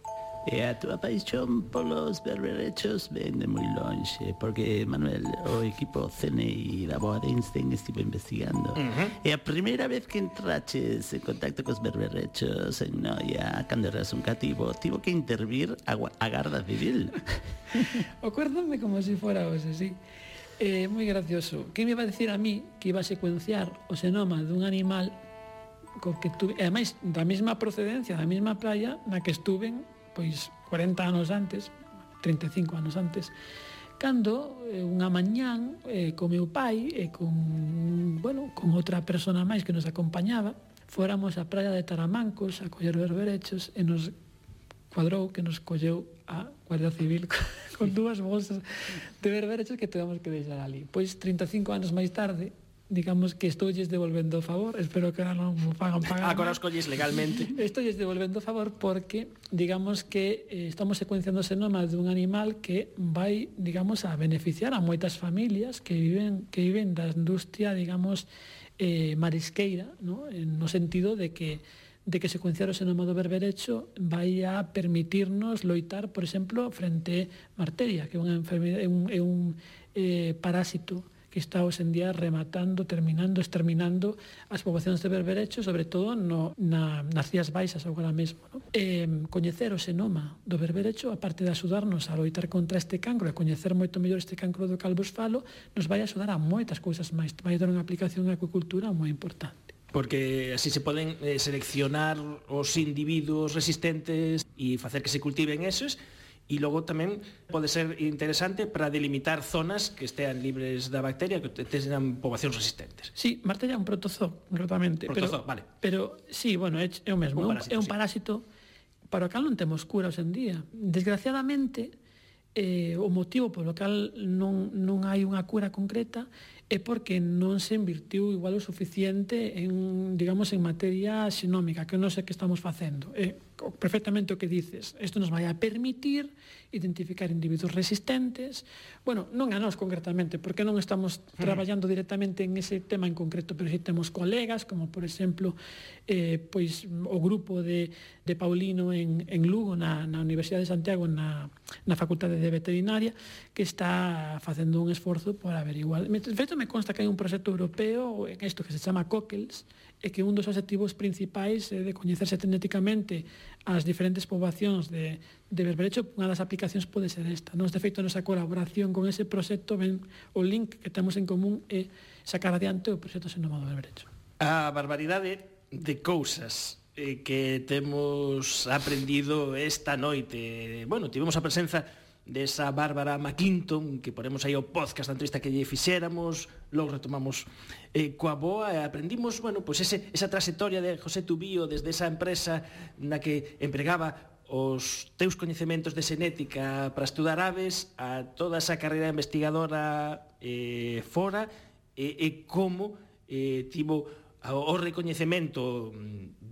E a túa paixón polos berberechos vende moi longe, porque, Manuel, o equipo C N I da Boa de Einstein estivo investigando. Uh-huh. E a primeira vez que entraches en contacto cos berberechos en Noia, cando eras un cativo, tivo que intervir a, a Garda Civil. Acuérdame como se si fora hoxe, sí. É eh, moi gracioso. Quen me iba a decir a mí que iba a secuenciar o xenoma dun animal co que tuve, e ademais da mesma procedencia, da mesma praia na que estuven pois cuarenta anos antes, trinta e cinco anos antes, cando eh, unha mañán eh, co meu pai e con, bueno, con outra persona máis que nos acompañaba, fóramos á praia de Taramancos a coller berberechos, e nos cuadrou que nos colleu a Guardia Civil con dúas bolsas de berberechos que temos que deixar ali. Pois trinta e cinco anos máis tarde, digamos que estoulles devolvendo o favor, espero que non me pagan pagar. Agora os colles legalmente. Estoulles devolvendo o favor porque, digamos que eh, estamos secuenciando o xenoma dun animal que vai, digamos, a beneficiar a moitas familias que viven que viven da industria, digamos, eh, marisqueira, ¿no? No sentido de que de que secuenciar o xenoma do berberecho vai a permitirnos loitar, por exemplo, frente á arteria, que é unha enfermedade, é un, é un eh, parásito que está hoxe en día rematando, terminando, exterminando as poboacións de berberecho, sobre todo no, na, nas Rías Baixas agora mesmo. No? Eh, coñecer o xenoma do berberecho, aparte de axudarnos a loitar contra este cancro e coñecer moito mellor este cancro do cal vos falo, nos vai axudar a moitas cousas máis. Vai dar unha aplicación á acuicultura moi importante. Porque así se poden eh, seleccionar os individuos resistentes e facer que se cultiven esos. E logo tamén pode ser interesante para delimitar zonas que estean libres da bacteria, que teñan poboacións resistentes. Sí, Martella é un protozoo, concretamente. Protozoo, pero, vale. Pero, sí, bueno, é, é o mesmo. Un parásito, é un sí. parásito para o cal non temos cura hoxe en día. Desgraciadamente, eh, o motivo polo cal non, non hai unha cura concreta é porque non se invirtiu igual o suficiente en, digamos, en materia xenómica, que non sei que estamos facendo. É perfectamente o que dices. Isto nos vai a permitir identificar individuos resistentes. Bueno, non a nós concretamente, porque non estamos traballando directamente en ese tema en concreto, pero si temos colegas, como por exemplo eh, pois, o grupo de, de Paulino en, en Lugo, na, na Universidade de Santiago, na, na Facultade de Veterinaria, que está facendo un esforzo por averiguar. De feito, me consta que hai un proxecto europeo en isto que se chama COCELS, e que un dos objetivos principais é de coñecerse genéticamente as diferentes poboacións de, de berberecho. Unha das aplicacións pode ser esta. Nos, de feito, nosa colaboración con ese proxecto, ben, o link que temos en común é sacar adiante o proxecto xenoma do berberecho. A barbaridade de cousas eh, que temos aprendido esta noite. Bueno, tivemos a presenza desa Bárbara McClinton, que ponemos aí o podcast da entrevista que lle fixéramos, logo retomamos eh, coa boa, e aprendimos, bueno, pois ese, esa trayectoria de José Tubío desde esa empresa na que empregaba os teus coñecementos de xenética para estudar aves a toda esa carreira investigadora eh, fora, e, e como eh, tivo o recoñecemento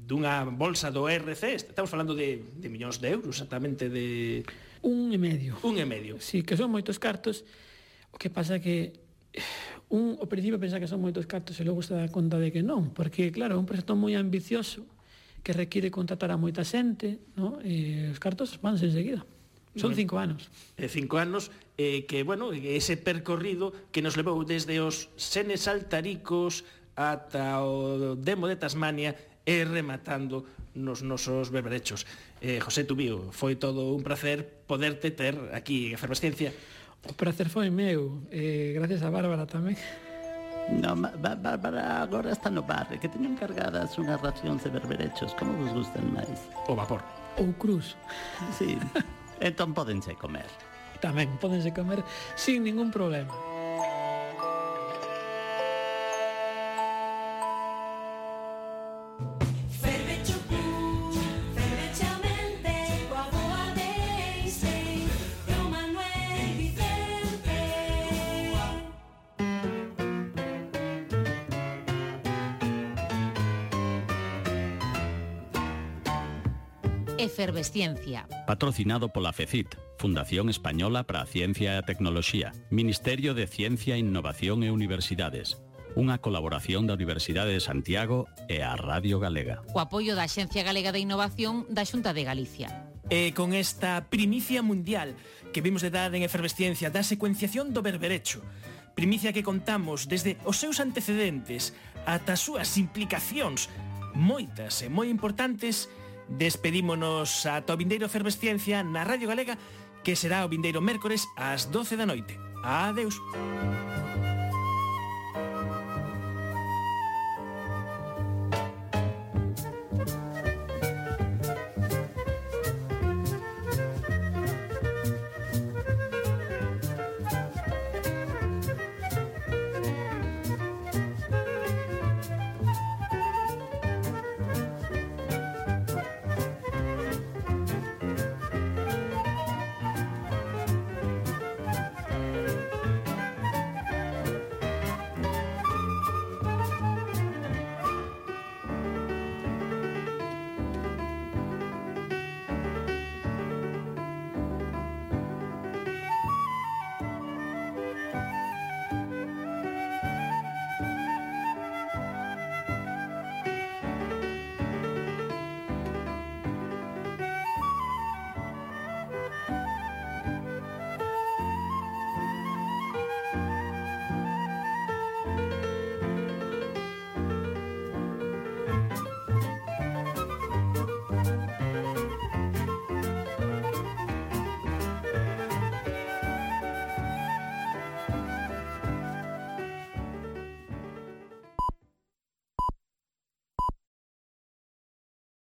dunha bolsa do E R C. Estamos falando de, de millóns de euros, exactamente de... Un e medio. Un e medio. Sí, que son moitos cartos. O que pasa que un, ao principio pensa que son moitos cartos e logo se dá conta de que non, porque claro, é un proxecto moi ambicioso que require contratar a moita xente, ¿no? E os cartos vanse enseguida. Son bueno, cinco anos. Eh, cinco anos, eh, que, bueno, ese percorrido que nos levou desde os Senes Altaricos ata o Demo de Tasmania e rematando nos nosos berberechos. Eh, José Tubío, foi todo un placer poderte ter aquí en Efervesciencia. O placer foi meu, eh, gracias a Bárbara tamén. No, Bárbara agora está no bar, que teño encargadas unhas racións de berberechos. Como vos gustan máis? O vapor. Ou cruz. Sí, entón pódense comer. Tamén, pódense comer sin ningún problema. Efervesciencia. Patrocinado pola FECIT, Fundación Española para a Ciencia e a Tecnoloxía, Ministerio de Ciencia, Innovación e Universidades, unha colaboración da Universidade de Santiago e a Radio Galega. O apoio da Axencia Galega de Innovación da Xunta de Galicia. E con esta primicia mundial que vimos de dar en Efervesciencia da secuenciación do berberecho, primicia que contamos desde os seus antecedentes ata as súas implicacións moitas e moi importantes, despedímonos ata o vindeiro Efervesciencia na Radio Galega, que será o vindeiro mércores ás doce da noite. Adeus.